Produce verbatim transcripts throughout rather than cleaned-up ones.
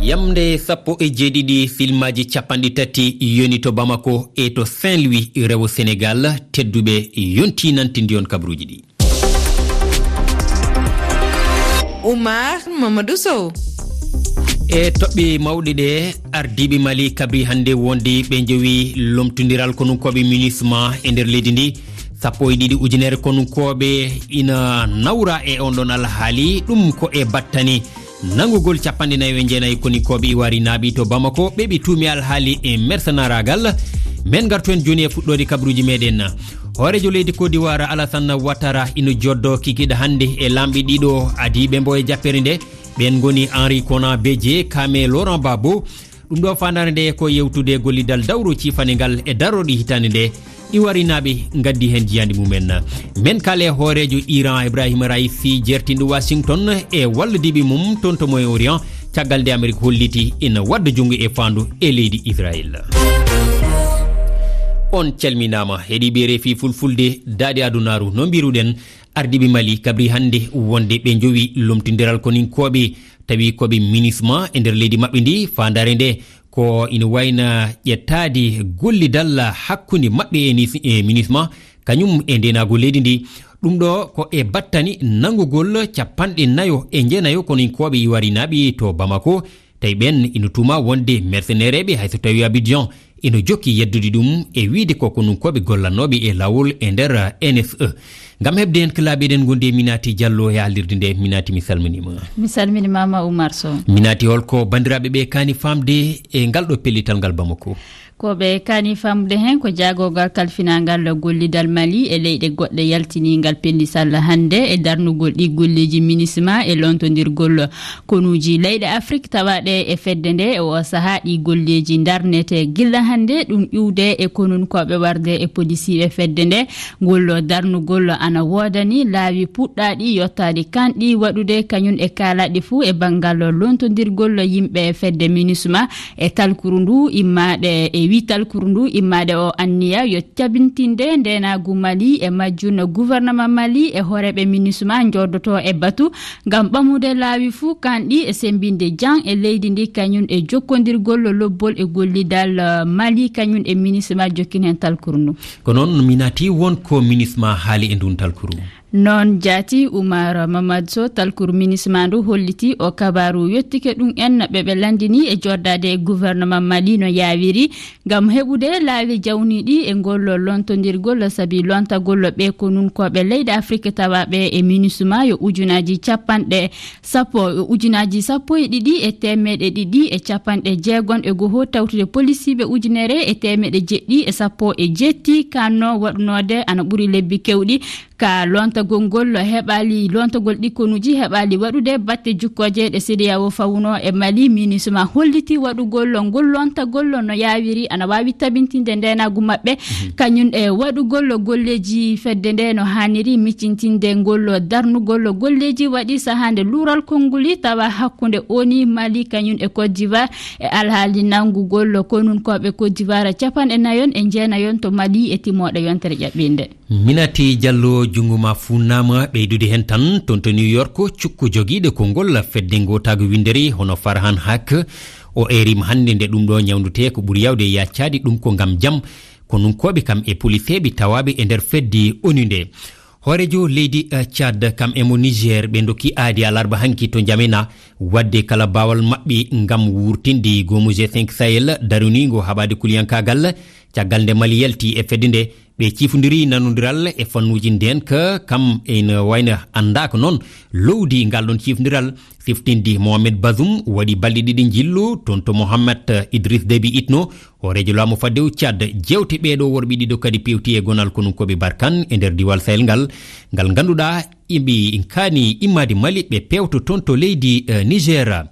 Yamnde sappo e jeeɗiɗi filmaaji capanɗe tati yoni to Bamako e to Saint-Louis, rewo Senegal. Tedduɓe, yonti nantindi on kabruuji ɗi. Oumar Mamadou Sow. E toɓɓe mawɗe ɗe, ardiiɓe Mali kabri hannde wonde ɓe njowi lomtondiral konunkooɓe MINUSMA e nder leydi ndi. Sappo e ɗiɗi ujunere konunkooɓe ina nawra e on ɗon alhaali, ɗum ko e battane nanngugol capanɗe nayo e jeenayi koninkooɓe ivoirinaaɓe to Bamako, ɓe ɓe tuumi alhaali e mersenaraagal. Men ngartu en jooni e fuɗɗoode kabruuji meɗen. Hooreejo leydi Côte d'Ivoire Alassane Ouattara ina joddo kikiiɗe hannde e laamɓe ɗiɗo adiiɓe mbo e jappere nde. Ɓeen ngoni Henri Konan Bédié, Kame Laurent Gbagbo. Ɗum ɗo faandaare nde ko yewtude gollidal dawro ciifane ngal e darorɗi hitaande nde. Ivoirinaaɓe ngaddi heen jiyaandi mumen. Men kaale hooreejo Iran Ibrahim Raisi jertinɗo Washington e wallodiiɓe mum toon to Moyen-Orient, caggal nde Amerik holliti ina wadda junngo e faandu e leydi Israel. On calminaama, heɗiiɓe refi fulfulde daaɗe adunaaru. No mbiruɗen, ardiiɓe Mali kabri hannde wonde ɓe njowi lomtindiral koninkooɓe, tawi ko ɓe MINUSMA e nder leydi maɓɓe ndi. Faandaare nde ko ina wayna ƴettaade gollidal hakkunde maɓɓe e nis-, e MINUSMA, kañum e ndeenaagu leydi ndi. Ɗum ɗo ko e battane nanngugol capanɗe nayo e jeenayo koninkooɓe ivoirinaaɓe to Bamako. Tawi ɓeen ina tuuma wonde mercenaire ɓe, hay so tawi Abidjan ina jokki yeddude ɗum e wiyde ko konunkooɓe gollannooɓe e laawol e nder N S E. Ngam heɓde heen ko laabi eɗen ngondi e Minati Diallo e haalirde nde. Minati, mi salminiima. Mi salminiima ma Oumar Sow. Minati, holko banndiraaɓe ɓe kaani faamde e ngal ɗo pellital ngal Bamako? Ko ɓe kaani faamde heen ko jaagorgal kalfinaangal gollidal Mali e leyɗe goɗɗe yaltiniingal pellital hannde e darnugol ɗi golleeji MINUSMA e lontondirgol konuuji leyɗe Afrik tawaaɗe e fedde nde. E oo sahaa ɗi golleeji ndarnete gilla hannde, ɗum iwde e konunkooɓe warde e polisiiɓe fedde nde. Ngol darnugol ana woodani laawi puɗɗaaɗi yottaade kanɗi waɗude kañum e kaalaaɗi fuu e banngal lontondirgol yimɓe fedde MINUSMA e talkuru ndu immaade, e wi talkuru ndu immaade o anniya yo cabintinde ndeenaagu Mali e majjum gouvernement Mali e hooreeɓe MINUSMA njoodoto e batu ngam ɓamude laawi fuu kanɗi e semmbinde jam e leydi ndi kañum e jokkondirgol lobbol e gollidal, eh, Mali kañum e MINUSMA jokkin heen talkuru ndu. Ko noon Minati, won ko MINUSMA haali e ndun talkuru? Noon jaati Oumar Mamadou Sow, talkuru MINUSMA ndu holliti o kabaaru yottike ɗum en ɓe ɓe lanndini e joddaade e gouvernement Mali no yaawiri ngam heɓude laawi jawniiɗi e ngol lontondirgol, sabi lontagol ɓe konunkooɓe leyɗe Afrik tawaaɓe e MINUSMA yo ujunaaji capanɗe sappo, ujunaaji sappo e ɗiɗi e teemeɗe ɗiɗi e capanɗe jeegom e goho, tawtude polisiiɓe ujunere e teemeɗe jeɗɗi e sappo e jetti kanno waɗunoode ana ɓuri lebbi kewɗi. Ka lontagol ngol heɓaali, lontagol ɗi konuuji heɓaali waɗude batte jukkooje ɗe CEDEAO fawuno e Mali, MINUSMA holliti waɗugol ngol lontagol no yaawiri, ana waawi tabintinde ndeenaagu maɓɓe, mhm, kañum e waɗugol golleeji fedde nde no haaniri, miccintinde ngol darnugol golleeji waɗi sahaa nde luural konnguli tawa hakkunde ONU, Mali kañum e Côte d'Ivoire e alhaali nanngugol konunkooɓe Côte d'Ivoire capanɗe nayon e jeenayon to Mali e timooɗe yontere ƴaɓɓinde. Minati Diallo, junngo ma fuunnaama. Ɓeydude heen tan, toon to New York, cukko jogiiɗo konngol fedde ngootaagu winndere hono Farhan Haq, o eeriima hannde nde ɗum ɗo ñawndutee ko ɓuri yaawde e yaccaade ɗum ko ngam jam konunkooɓe kam e poliseeɓe tawaaɓe e nder fedde ONU nde. Hooreejo leydi, eh, Tchad kam e mo Niger ɓe ndokki aadi alarba hanki to Njamena waɗde kala baawal maɓɓe ngam wurtinde goomu G cinq Sahel daruniingo haɓaade kuliyankaagal. Caggal nde Mali yalti e fedde nde, ɓe ciifondiri nanondiral e fannuuji ndeenka, kam ina wayno anndaaka noon lowdi ngal ɗon ciifondiral. Siftindi Mohamed Bazoum waɗi balɗe ɗiɗi njillu toon to Mohamed Idriss Déby Itno, hooreejo laamu faddewu Tchad. Jeewte ɓeeɗo worɓe ɗiɗo kadi pewti e gonal konunkooɓe Barkan e nder diwaal Sahel ngal, ngal ngannduɗaa iɓe kaani immaade Mali, ɓe pewto toon to leydi, eh, Niger.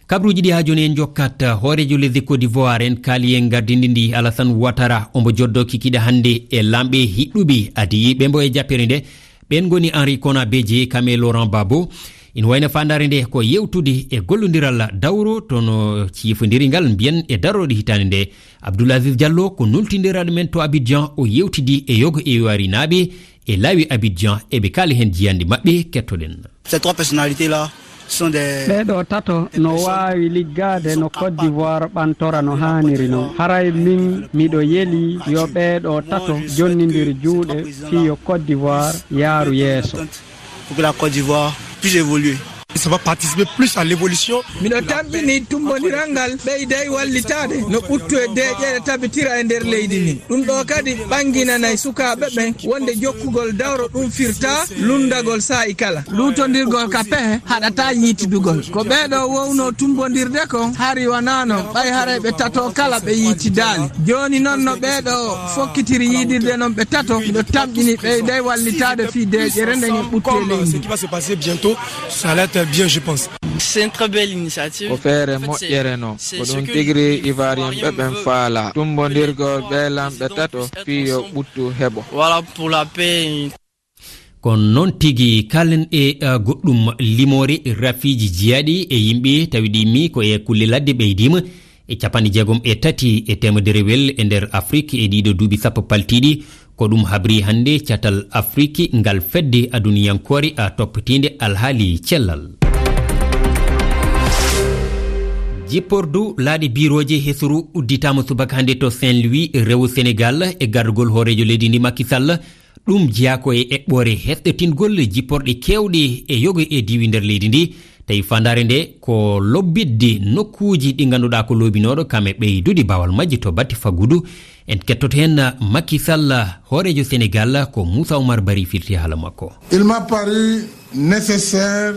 Kabruuji ɗi haa jooni en njokkat. Hooreejo lesdi Côte d'Ivoire en kaali en gardindi ndi, Alassane Ouattara, ombo joddo kikiiɗe hannde e laamɓe hiɗɗuɓe adiiɓe mbo e jappere nde. Ɓeen ngoni Henri Konan Bédié, Kame Laurent Gbagbo. Ina wayno faandaare nde ko yewtude e gollondiral dawro to no ciifondiri ngal mbiyen e darooɗe hitaande nde. Abdoul Aziz Diallo ko nultindiraaɗo men to Abidjan, o yewtidi e yogo e warinaaɓe e laawi Abidjan, eɓe kaali heen jiyannde maɓɓe, kettoɗen. Ces trois personnalités-là, Ɓee ɗoo tato no waawi liggaade no Côte d'Ivoire ɓantora no haaniri non. Haray min miɗo yeli yo ɓee ɗoo tato jonnindir juuɗe fii yo Côte d'Ivoire yaaru yeeso. Pour que la Côte d'Ivoire puisse évoluer. Ça va participer plus à l'évolution. Miɗo tamƴini tumbondiral ngal ɓeyday wallitaade no ɓuttu e deeƴere tabitira e nder leydi ndin. Ɗum ɗoo kadi ɓannginanay sukaaɓe ɓen wonde jokkugol dawro ɗum firtaa lunndagol saa'i kala. Luutondirgol ka pehe haɗataa yiitidugol. Ko ɓee ɗoo wownoo tumbondirde kon hari wanaano, ɓay haray ɓe tato kala ɓe yiitidaali. Jooni non no ɓee ɗoo fokkitiri yiidirde non ɓe tato, miɗo tamƴini ɓeyday wallitaade fii deeƴere nden e ɓuttu e leydi. Ce qui va se passer bientôt, ça va être bien, je pense. C'est une très belle initiative. Ko feere moƴƴere non. Ko ɗum tigi ri Ivoirien ɓe ɓen faala. Tumbondirgol ɓee lamɓe tato fii yo ɓuttu heɓo. Voilà pour la paix. Kono noon tigi, kaalen e, uh, goɗɗum limoore rafiiji jiyaaɗi e yimɓe tawi ɗi mi ko e kulle ladde ɓeydiima e capanɗe jeegom e tati e teemederewel e nder Afrik e ɗiɗo duuɓi sappo paltiiɗi. Ko ɗum habri hannde catal Afrik ngal fedde aduniyankoore a toppitiinde alhaali cellal. Jippordu laaɗe biirooje hesuru udditaama subaka hannde to Saint-Louis, rewo Senegal, e gardugol hooreejo leydi ndi Macky Sall. Ɗum jeyaa ko e eɓɓoore hesɗitingol jipporɗe keewɗe e yoga e diiwi nder leydi ndi. Tawi faandaare nde ko lobbitde nokkuuji ɗi ngannduɗaa ko loobinooɗo kam e ɓeydude baawal majji to batte faggudu. En kettoto heen Macky Sall, hooreejo Senegal, ko Moussa Oumar Barry firti haala makko. Il m'a paru nécessaire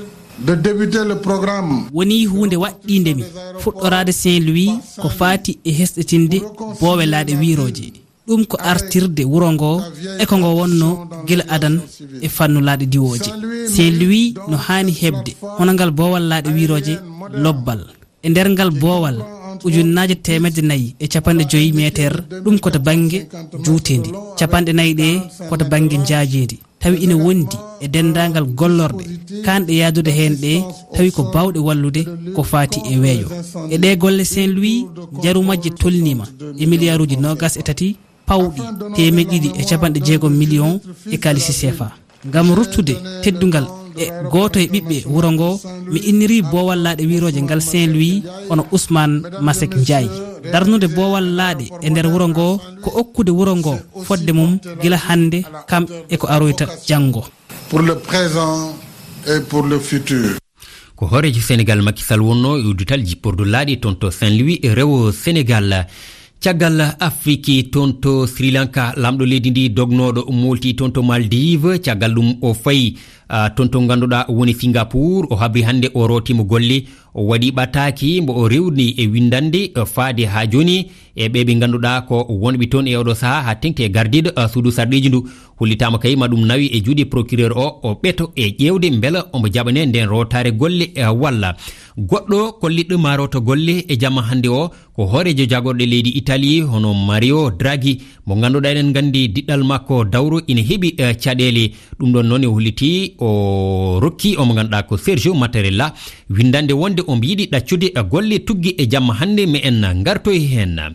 de débuter le programme. Wonii huunde waɗɗiinde mi fuɗɗoraade Saint-Louis ko faati e hesɗitinde boowe laaɗe wiirooje. Ɗum ko artirde wuro ngo e ko ngo wonno gila adan e fannu laaɗe diwooje. Saint-Louis no haani heɓde hono ngal boowal laaɗe wiirooje lobbal. E nder ngal boowal, ujunnaaje teemedde nayi e capanɗe joyi meeter, ɗum ko to bannge juuteendi, capanɗe nayi ɗe ko to bannge njaajeendi. Tawi ina wondi e denndaangal gollorɗe kaanɗe yahdude heen ɗe, tawi ko baawɗe wallude ko faati e weeyo. E ɗee golle, Saint-Louis, njaru majje tolniima e miliyaaruuji noogas e tati pawɗi teemeɗe ɗiɗi e capanɗe jeegom miliyoŋ e kaalisi seefa. Ngam ruttude teddungal e gooto e ɓiɓɓe wuro ngo, mi inniri boowal laaɗe wiirooje ngal Saint-Louis, hono Ousmane Masek Ndiaye. Darnude boowal laaɗe e nder wuro ngo ko okkude wuro ngo fodde mum gila hannde, kam e ko aroyta janngo. Pour le présent et pour le futur. Ko hooreejo Senegal Macky Sall wonnoo e uddital jippordu laaɗe toon to Saint-Louis e rewo Senegal. Caggal Afriki toon to Sri Lanka, laamɗo leydi ndi dognooɗo molti toon to Maldives. Caggal ɗum o fayi, ah, toon to ngannduɗaa woni Singapour. O habri hannde o rootiima golle. O waɗi ɓataaki mbo o rewni e winndannde, eh, faade haa jooni e ɓe ɓe ngannduɗaa ko wonɓe toon e oɗo sahaa haa teŋti e gardiiɗo, eh, suudu sarɗiiji ndu. Hollitaama kay ma ɗum nawi e juuɗe procureur o, o ɓeto e ƴeewde mbela omo jaɓane nden rootaare golle, eh, walla. Goɗɗo kolliɗɗo ma roota golle e jamma hannde o ko hooreejo jagorɗe leydi Italie hono Mario Draghi, mo ngannduɗaa eɗen nganndi diɗɗal makko dawro ina heɓi, eh, caɗeele. Ɗum ɗoon noon e holliti o rokki omo ngannduɗaa ko Sergio Mattarella winndande wonde omo yiɗi ɗaccude golle tuggi e jamma hannde, mi en ngartoy heen.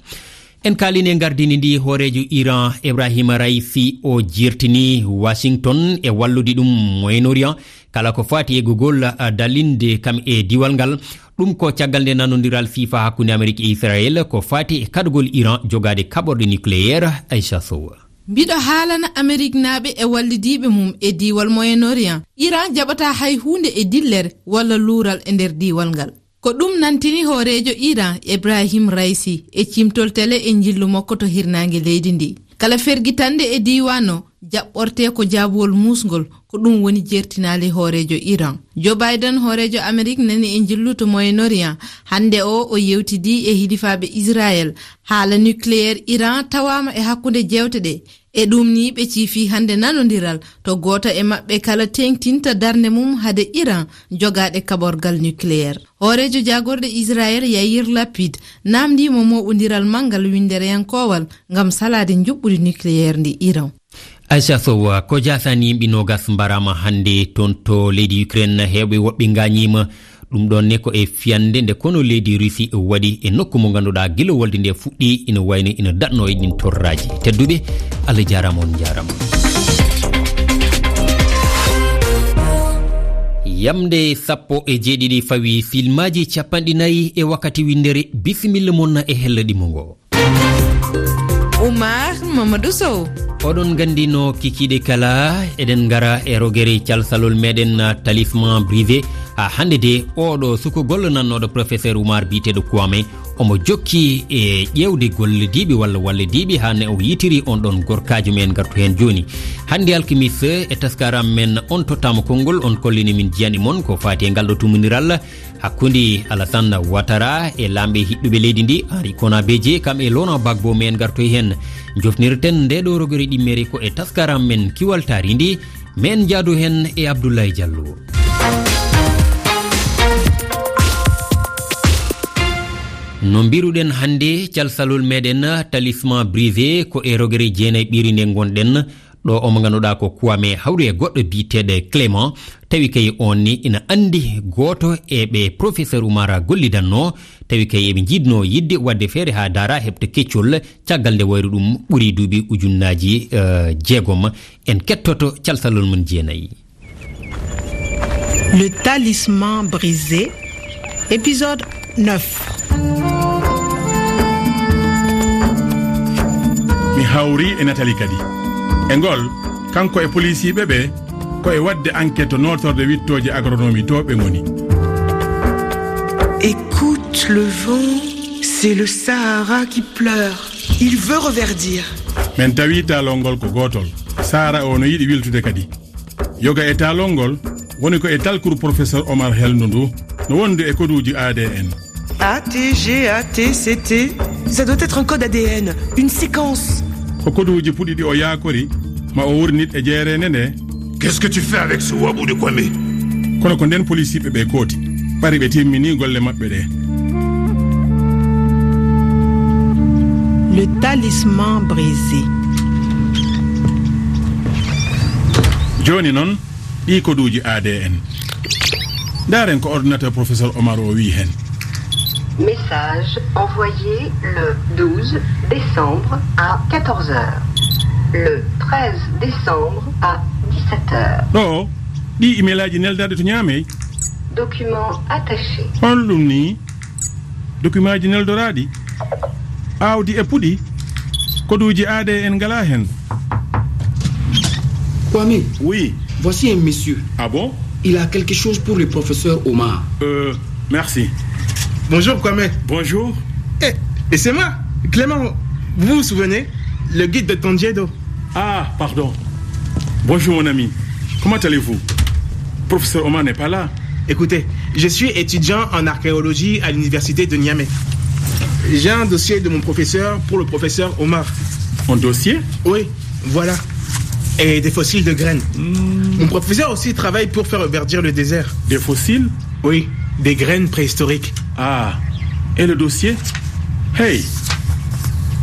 En kaalini e ngardini ndi hooreejo Iran Ibrahim Raisi o jirtini Washington e wallude ɗum Moyen-Orient kala ko faati e gugol, ah, dalinde kam e diwal ngal. Ɗum ko caggal nde nanondiral siifa hakkunde Amerik e Israel ko faati e kaɗgol Iran jogaade kaɓorɗe nucléaire. Aisha Sow. Mbiɗo haalana Ameriknaaɓe e wallidiiɓe mum e diiwal Moyen-Orient. Iran jaɓataa hay huunde e dillere walla luural e nder diiwal ngal. Ko ɗum nantini hooreejo Iran, Ibrahim Raisi, e cimtol tele e njillu makko to hirnaange leydi ndi. Kala fergitannde e diiwaan o jaɓɓortee ko jaabuwol muusngol, ko ɗum woni jertinaali hooreejo Iran. Joe Biden, hooreejo Amerik, nani e njillu to Moyen-Orient. Hannde o, o yewtidii e hilifaaɓe Israel. Haala nucléaire Iran tawaama e hakkunde jeewte ɗe. E ɗum ni ɓe ciifi hannde nanondiral to gooto e maɓɓe kala teeŋtinta darnde mum hade Iran jogaade kaɓorgal nucléaire. Hooreejo jaagorɗe Israel Yair Lapid naamndii mo mooɓondiral manngal winndereyankoowal ngam salaade njuɓɓudi nucléaire ndi Iran. Aisha Sow, ko jaasani yimɓe noogas mbaraama hannde toon to leydi Ukraine, heewɓe woɓɓe ngaañiima. Ɗum ɗoon ne ko e fiyannde nde kono leydi Russie waɗi e nokku mo ngannduɗaa gila wolde nde fuɗɗi ina wayno ina daɗno e ɗin torraaji. Tedduɓe, Allah jaaraama, on njaaraama. Yamde sappo e jeeɗiɗi fawi filmaaji capanɗe nayi e wakkati winndere. Bisimilla mon e hella ɗimmo ngo. Oumar Mamadou Sow. Oɗon nganndi no kikiiɗe kala, eɗen ngara e rogere calsalol meɗen Talisman Brisé. Haa hannde de, oɗo suko gollonannooɗo professeur Oumar biyeteeɗo Kwame, omo jokki e ƴeewde gollodiiɓe walla wallodiiɓe haa ne o yitiri on ɗon gorkaajo. Men ngartu heen jooni. Hannde alkimis e taskaram men on tottaama konngol, on kollini min jiyani mon ko faati e ngal ɗo tumundiral hakkunde Alassane Ouattara e laamɓe hiɓɓuɓe leydi ndi, Henri Konan Bédié, kam e Laurent Gbagbo. Men ngartoy heen. Jofnirten nde ɗo rogere ɗimmere ko e taskaram men Kiwal Taarindi. Men njaadu heen e Abdoulaye Diallo. No mbiruɗen hannde, calsalol meɗen Talisman Brisé ko e rogere jeenayi ɓiri nde ngonɗen. Ɗo omo ngannduɗaa ko Kwame hawri e goɗɗo biyeteeɗo Clément, tawi kay on ni ina anndi gooto e ɓe professeur Oumar gollidanno, tawi kay eɓe njiɗno yiɗde waɗde feere haa daara heɓta keccol, caggal nde wayru ɗum ɓuri duuɓi ujunnaaji, eh, jeegom. En kettoto calsalol mum jeenayi. Le talisman brisé, épisode neuf. Mi hawri e Nathalie kadi. E ngol, kanko e polisiiɓe ɓe, ko e waɗde enquête to nootorde wittooje agronomie to ɓe ngoni. Écoute le vent, c'est le Sahara qui pleure. Il veut reverdir. Men tawi taalol ngol ko gootol. Sahara o no yiɗi wiltude kadi. Yoga e taalol ngol woni ko e talkuru professeur Oumar helndu ndu, no wondu e koduuji A D N. A T G A T C T, ça doit être un code A D N, une séquence. Ko koduuji puɗi ɗi o yaakori, ma o wurnit e jeereende nde. Qu'est-ce que tu fais avec ce Ouabou de Kwame ? Kono ko nden polisiiɓe ɓe kooti, ɓari ɓe timmini golle maɓɓe ɗe. Le talisman brisé. Jooni noon, ɗi koduuji A D N. Ndaaren ko ordinateur professeur Oumar o wiyi heen. Message envoyé le douze décembre à quatorze heures. Le treize décembre à dix-sept heures. Ɗo, ɗi emailaaji neldaɗi to Niamey. Document attaché. Hol ɗum ni? Dokimaaji neldoraaɗi, aawdi e puɗi, koduuji A D N ngalaa heen. Kwame. Oui. Voici un monsieur. Ah bon ? Il a quelque chose pour le professeur Oumar. Euh, merci. Bonjour, Kwame. Bonjour. Eh, et c'est moi, Clément. Vous vous souvenez ? Le guide de Tondiedo. Ah, pardon. Bonjour, mon ami. Comment allez-vous ? Professeur Oumar n'est pas là. Écoutez, je suis étudiant en archéologie à l'université de Niamey. J'ai un dossier de mon professeur pour le professeur Oumar. Un dossier ? Oui, voilà. Et des fossiles de graines. Hmm. Mon professeur aussi travaille pour faire verdir le désert. Des fossiles ? Oui, des graines préhistoriques. Ah, et le dossier ? Hey,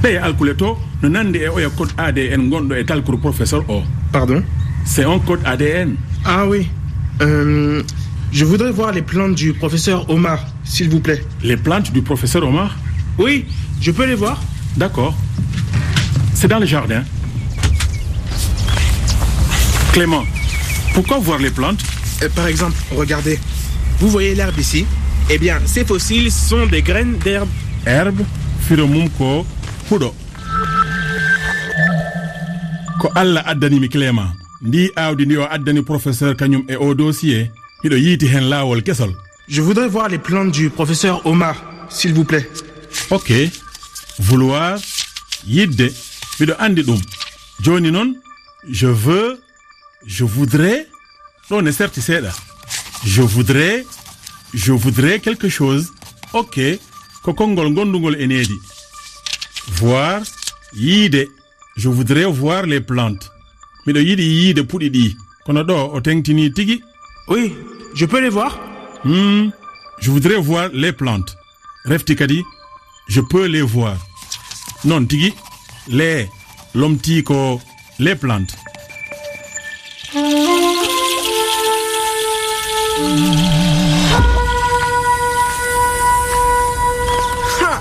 ɗe alkule to no nandi e oya code A D N gonɗo e talkuru professeur o. Pardon ? C'est un code A D N. Ah oui. Euh, je voudrais voir les plantes du professeur Oumar, s'il vous plaît. Les plantes du professeur Oumar ? Oui, je peux les voir ? D'accord. C'est dans le jardin. Clément, pourquoi voir les plantes ? Euh, par exemple, regardez. Vous voyez l'herbe ici ? Eh bien, ces fossiles sont des graines d'herbe. Herbe, firo mum ko huɗo. Ko Allah addani mi Clément. Ndi aawdi ndi o addani professeur kañum e o dossier, miɗo yiiti heen laawol kesol. Je voudrais voir les plantes du professeur Oumar, s'il vous plaît. Ok. Vouloir, yiɗde, miɗo anndi ɗum. Jooni noon, je veux, je voudrais, ɗo ne serti seeɗa. Je voudrais, je voudrais quelque chose. Ok. Ko konngol ngonndungol e needi. Voir, yiide. Je voudrais voir les plantes. Miɗo yiɗi yiide puɗi ɗi. Kono ɗo o teŋtini tigi. Oui, je peux les voir ? Hmm, je voudrais voir les plantes. Refti kadi, je peux les voir. Noon tigi, les, lomti ko les plantes. Ha !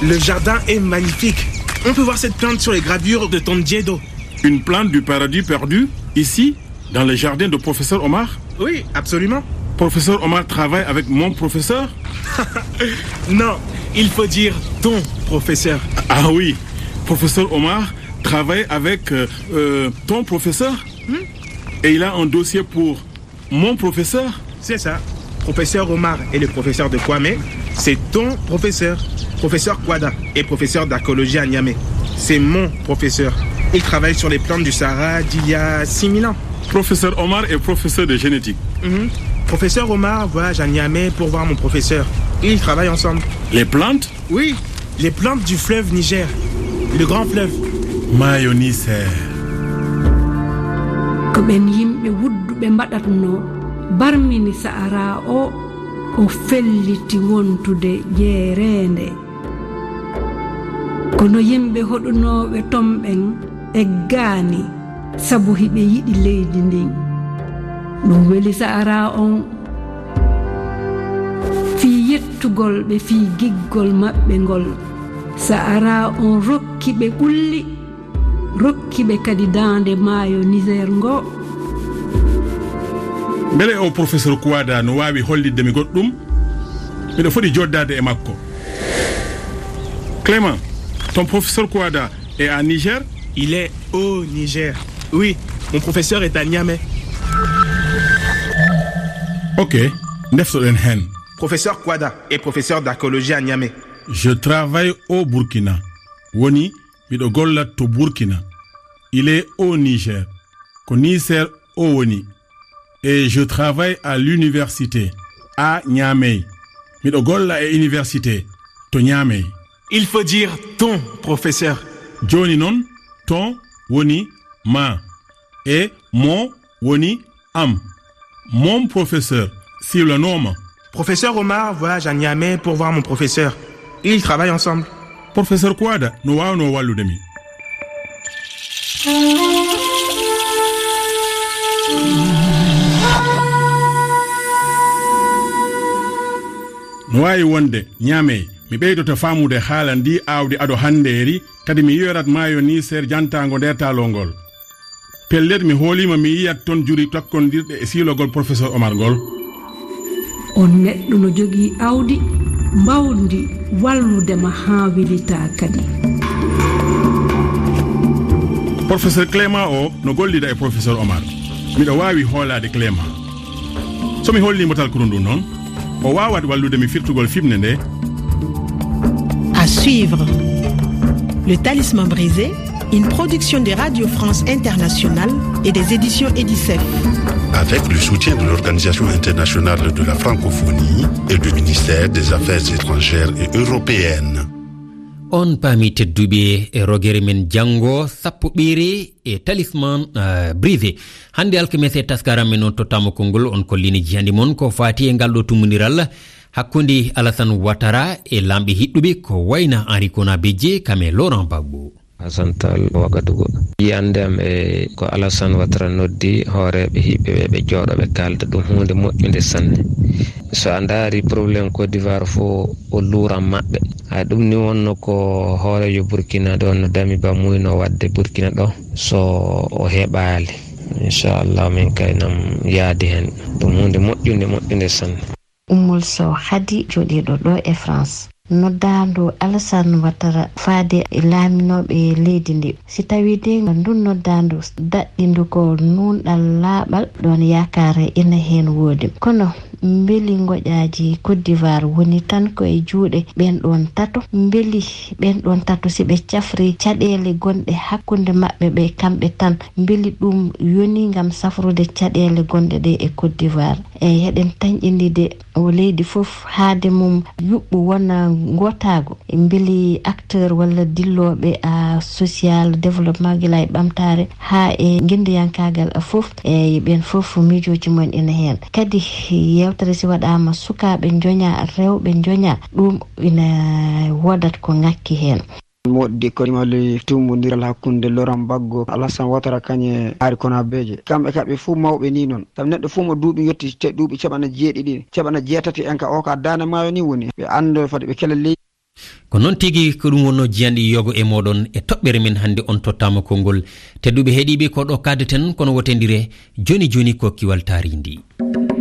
Le jardin est magnifique. On peut voir cette plante sur les gravures de Tondiedo. Une plante du paradis perdu, ici, dans le jardin de professeur Oumar ? Oui, absolument. Professeur Omar travaille avec mon professeur ? Non, il faut dire ton professeur. Ah oui, professeur Omar travaille avec euh, euh, ton professeur ? Hmm ? Et il a un dossier pour mon professeur ? C'est ça. Professeur Omar est le professeur de Kwame. C'est ton professeur. Professeur Kwada est professeur d'archéologie à Niamey. C'est mon professeur. Il travaille sur les plantes du Sahara d'il y a six mille ans. Professeur Omar est professeur de génétique. Mhm. Professeur Omar voyage à Niamey pour voir mon professeur. Ils travaillent ensemble. Les plantes ? Oui, les plantes du fleuve Niger, le grand fleuve. Maayo Niger. Ko ɓen yimɓe wudduɓe mbaɗatnoo, barmini Sahara o, o felliti wontude jeereende. Kono yimɓe hoɗunooɓe ton ɓen eggaani, sabu hiɓe yiɗi leydi ndin. Ɗum weli Sahara on fii yettugol ɓe fii giggol maɓɓe ngol. Sahara on rokki ɓe ɓulli, rokki ɓe kadi daande maayo Niger ngo. Mbele o professeur Kouada no waawi hollitde mi goɗɗum? Miɗo foti joddaade e makko. Clément, ton professeur Kouada est à Niger ? Il est au Niger. Oui, mon professeur est à Niamey. Ok, ndeftoɗen heen. Professeur Kouada est professeur d'archéologie à Niamey. Je travaille au Burkina. Woni, miɗo golla to Burkina. Il est au Niger. Ko Niger o woni. Et je travaille à l'université à Niamey. Miɗo golla e université to Niamey. Il faut dire ton professeur. Jooni noon, ton woni ma. E mon woni am. Mon professeur siwlanooma. Professeur Omar voyage à Niamey pour voir mon professeur. Ils travaillent ensemble. Professeur Kouada no waawnoo wallude mi. No waawi wonde, Niamey, mi ɓeydoto faamude haala ndii aawdi ado hanndeeri, kadi mi yiyorat maayo Niger jantaango ndeertaaloo ngol. Pellet, mi hooliima mi yiyat ton juri takkondirɗe e siilogol professeur Omar ngol. On neɗɗo no jogii awdi, mbawdi wallude ma haa welitaa kadi. Professeur Clément o no gollida e professeur Omar. Miɗo waawi hoolaade Clément. So mi holli mo talkuru ndu noon, o waawat wallude mi firtugol fimne nde. À suivre. Le Talisman brisé, une production de Radio France Internationale et des éditions Edicef. Avec le soutien de l'Organisation internationale de la francophonie et du ministère des Affaires étrangères et européennes. On paami tedduɓe e rogere men janngo sappo ɓeere e Talisman, eh, brisé. Hannde alkamese taskaram men on tottama konngol on kollini jiyandi mon ko faati e ngal ɗo tummundiral hakkunde Alassane Ouattara e laamɓe hiɗɗuɓe ko wayna Henri Konan Bédié kam e Laurent Gbagbo. Hassan Tall Ouagadougou. Yiyande am e ko Alassane Ouattara noddi hooreeɓe hiɓɓe ɓe, ɓe jooɗo ɓe kaalda ɗum huunde moƴƴunde sanne. So a ndaari problème Côte d'Ivoire fof o luuran maɓɓe. Hay ɗum ni wonno ko hooreejo Burkina ɗo no dami ba muyno waɗde Burkina ɗo so o heɓaali. Inchallah min kay nam yaadi heen. Ɗum huunde moƴƴunde, moƴƴunde sanne. Ummul Sow Khady jooɗiiɗo ɗo e France. Noddaandu Alassane Ouattara faade e laaminooɓe leydi ndi. Si tawii de ndun noddaandu daɗɗindu ko nuunɗal laaɓal, ɗoon yaakaare ina heen woodi. Kono mbeli ngoƴaaji Côte d'Ivoire woni tan ko e juuɗe ɓeen ɗoon tato? Mbeli ɓeen ɗoon tato si ɓe cafri caɗeele gonɗe hakkunde maɓɓe ɓe kamɓe tan, mbeli ɗum yoni ngam safrude caɗeele gonɗe ɗe e Côte d'Ivoire? Eey, heɗen tanƴindi de o leydi fof haade mum yuɓɓu wona ngootaagu. Mbeli acteur walla dillooɓe a social développement gila e ɓamtaare haa e ngenndiyankaagal a fof, eey, ɓeen fof miijooji mum en ina heen. Kadi yeewtere si waɗaama sukaaɓe njoña, rewɓe njoña, ɗum ina woodat ko ŋakki heen. Moƴƴi ko mali tummbondiral hakkunde Laurent Gbagbo, Alassane Ouattara, kañe Henri Konan Bédié. Kamɓe ka ɓe fof mawɓe ni noon. Sabu neɗɗo fof mo duuɓi yotti te duuɓi caɓana jeeɗiɗi, caɓana jeetati en ka o ka daande maayo ni woni. Ɓe anndo fade ɓe kela leydi. Ko noon tigi ko ɗum wonno jiyanɗi yogo e mooɗon e toɓɓere men hannde on tottaama konngol. Tedduɓe heɗiiɓe ko ɗo kaadeten kono wotendire jooni jooni ko kiwal taarindi.